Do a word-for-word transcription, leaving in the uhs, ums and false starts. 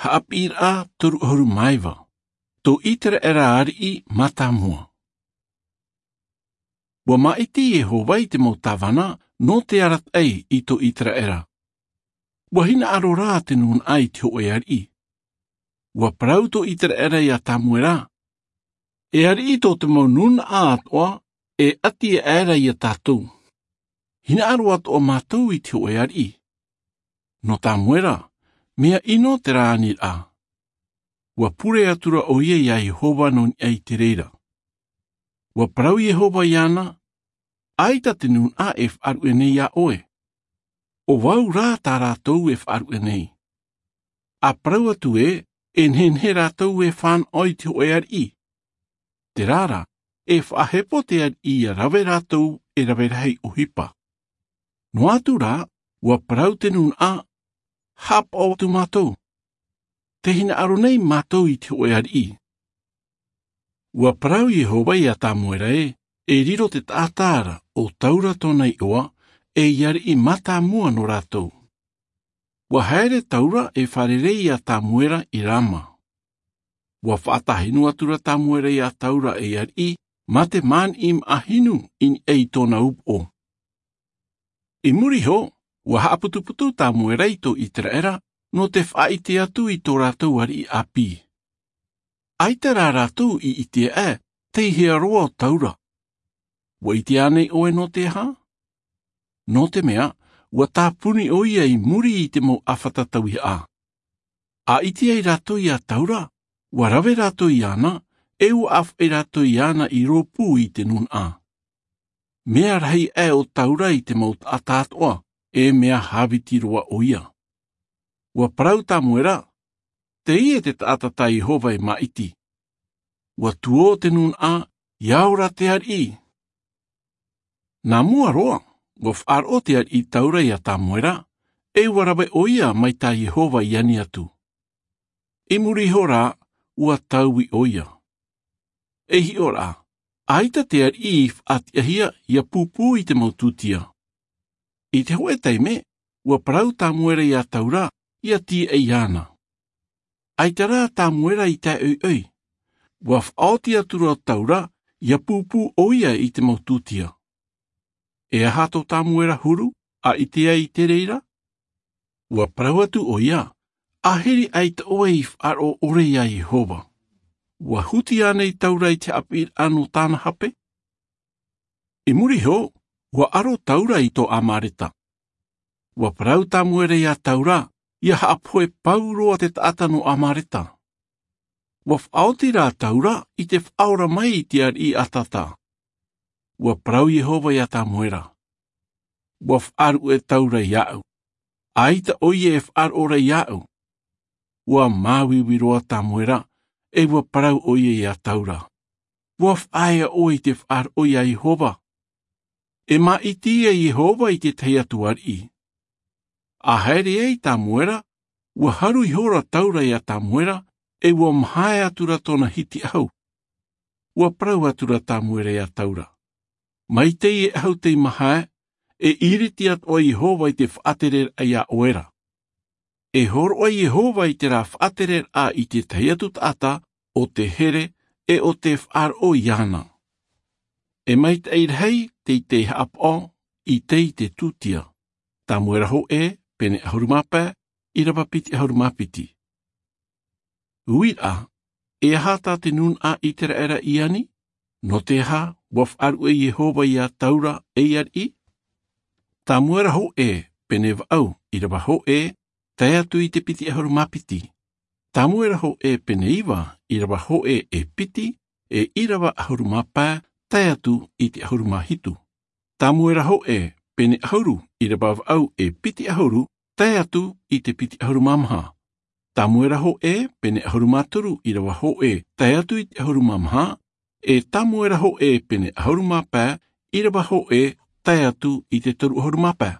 Haʻapiʻiraʻa toru ʻahuru mā iva. Tō Iteraera ariʻi mātāmua. Ua māʻiti Iehova i te mau tāvana nō te arataʻi i tō Iteraera. Ua hinaʻaro rā te nūnaʻa i te hōʻē ariʻi. Ua parau tō Iteraera iā Tamuera, E ariʻi, tō te mau nūnaʻa atoʻa e ʻati aʻera iā tātou. Hinaʻaro atoʻa mātou i te hōʻē ariʻi. Nō Tamuera, mea ʻino terā aniraʻa. Ua pure atu ra ʻoia iā Iehova nō niʻa i te reira. Ua parau Iehova iāna, ʻAita te nūnaʻa e faʻaruʻe nei iā ʻoe. ʻO vau rā tā rātou e faʻaruʻe nei. ʻA parau atu ē, e nehenehe rātou e fānaʻo i te hōʻē ariʻi. Terā rā, e faʻahepo te ariʻi ʻia rave rātou e rave rahi ʻohipa. Noa atu rā, ua parau te nūnaʻa, Haʻapaʻo atu mātou. Tē hinaʻaro nei mātou i te hōʻē ariʻi. Ua parau Iehova iā Tamuera ē, E riro te taʻata ra ʻo Taura tōna iʻoa, ei ariʻi mātāmua nō rātou. Ua haere Taura e fārerei iā Tamuera i Rama. Ua faʻatāhinu atu ra Tamuera iā Taura ei ariʻi, mā te māniʻi maʻa hinu i niʻa i tōna upoʻo. I muri iho, ua haʻaputuputu Tamuera i tō Iteraera nō te faʻaʻite atu i tō rātou ariʻi ʻāpī. ʻAita rā rātou i ʻite aʻe tei hea roa ʻo Taura. Ua ʻite ānei ʻoe nō te aha? Nō te mea, ua tāpuni ʻoia i muri i te mau ʻāfata tauihaʻa. ʻA ʻite ai rātou iā Taura, ua rave rātou iāna, e ua ʻāfaʻi rātou iāna i rōpū i te nūnaʻa. Mea rahi aʻe ʻo Taura i te mau taʻata atoʻa, e mea hāviti roa ʻoia. Ua parau Tamuera, Teie te taʻata tā Iehova e māʻiti. Ua tuō te nūnaʻa, ʻia ora te ariʻi. Nā mua roa, ua faʻaroʻo te ariʻi Taura iā Tamuera, e ua rave ʻoia mai tā Iehova i ani atu. I muri iho rā, ua taui ʻoia. E hiʻo rā, ʻaita te ariʻi i faʻatiʻahia ʻia pūpū i te mau tūtia. I te hōʻē taime, ua parau Tamuera iā Taura, ʻia tīaʻi iāna. ʻAita rā Tamuera i tae ʻoiʻoi. Ua faʻaoti atu ra ʻo Taura, ʻia pūpū ʻoia i te mau tūtia. E aha tō Tamuera huru, ʻa ʻite ai i te reira? Ua parau atu ʻoia, ʻAhiri ʻaita ʻoe i faʻaroʻo ʻore iā Iehova. Ua huti ānei Taura i te haʻapiʻiraʻa nō tāna hape? I muri iho, ua ʻaro Taura i tō Amareta. Ua parau Tamuera iā Taura, ʻia haʻapohe pauroa te taʻata nō Amareta. Ua faʻaoti rā Taura i te faʻaora mai i te ariʻi ʻatata. Ua parau Iehova iā Tamuera. Ua faʻaruʻe Taura iāʻu. ʻAita ʻoia e faʻaroʻo ra iāʻu. Ua māuiui roa Tamuera, e ua parau ʻoia iā Taura. Ua faʻaea ʻoe i te faʻaroʻo iā Iehova. E māʻiti ia Iehova i te tahi atu ariʻi. ʻA haere ai Tamuera, ua haru ihora Taura iā Tamuera, e ua mahae atu ra tōna hiti ʻahu. Ua parau atu ra Tamuera iā Taura. Mai teie ʻahu tei mahae, e ʻiriti atoʻa Iehova i te faʻatereraʻa iā ʻoe ra. E hōroʻa Iehova i terā faʻatereraʻa i te tahi atu taʻata, ʻo te here, e ʻo te faʻaroʻo iāna. E maitaʻi rahi tei te haʻapaʻo i teie tūtia. Tamuera hōʻē, pene ʻahuru mā pae, ʻīrava piti ʻahuru mā piti. Uiraʻa, e aha tā te nūnaʻa Iteraera i ani? Nō te aha, ua faʻaruʻe Iehova iā Taura ei ariʻi? Tamuera hōʻē, pene vaʻu, ʻīrava hōʻē, tae atu i te piti ʻahuru mā piti. Tamuera hōʻē, pene iva, ʻīrava hōʻē e piti, e ʻīrava ʻahuru mā pae, tae atu i te ʻahuru mā hitu. Tamuera hōʻē, pene ʻahuru, ʻīrava vaʻu e piti ʻahuru, tae atu i te piti ʻahuru mā maha. Tamuera hōʻē, pene ʻahuru mā toru, ʻīrava hōʻē, tae atu i te ʻahuru mā maha, e Tamuera hōʻē, pene ʻahuru mā pae, ʻīrava hōʻē, tae atu i te toru ʻahuru mā pae.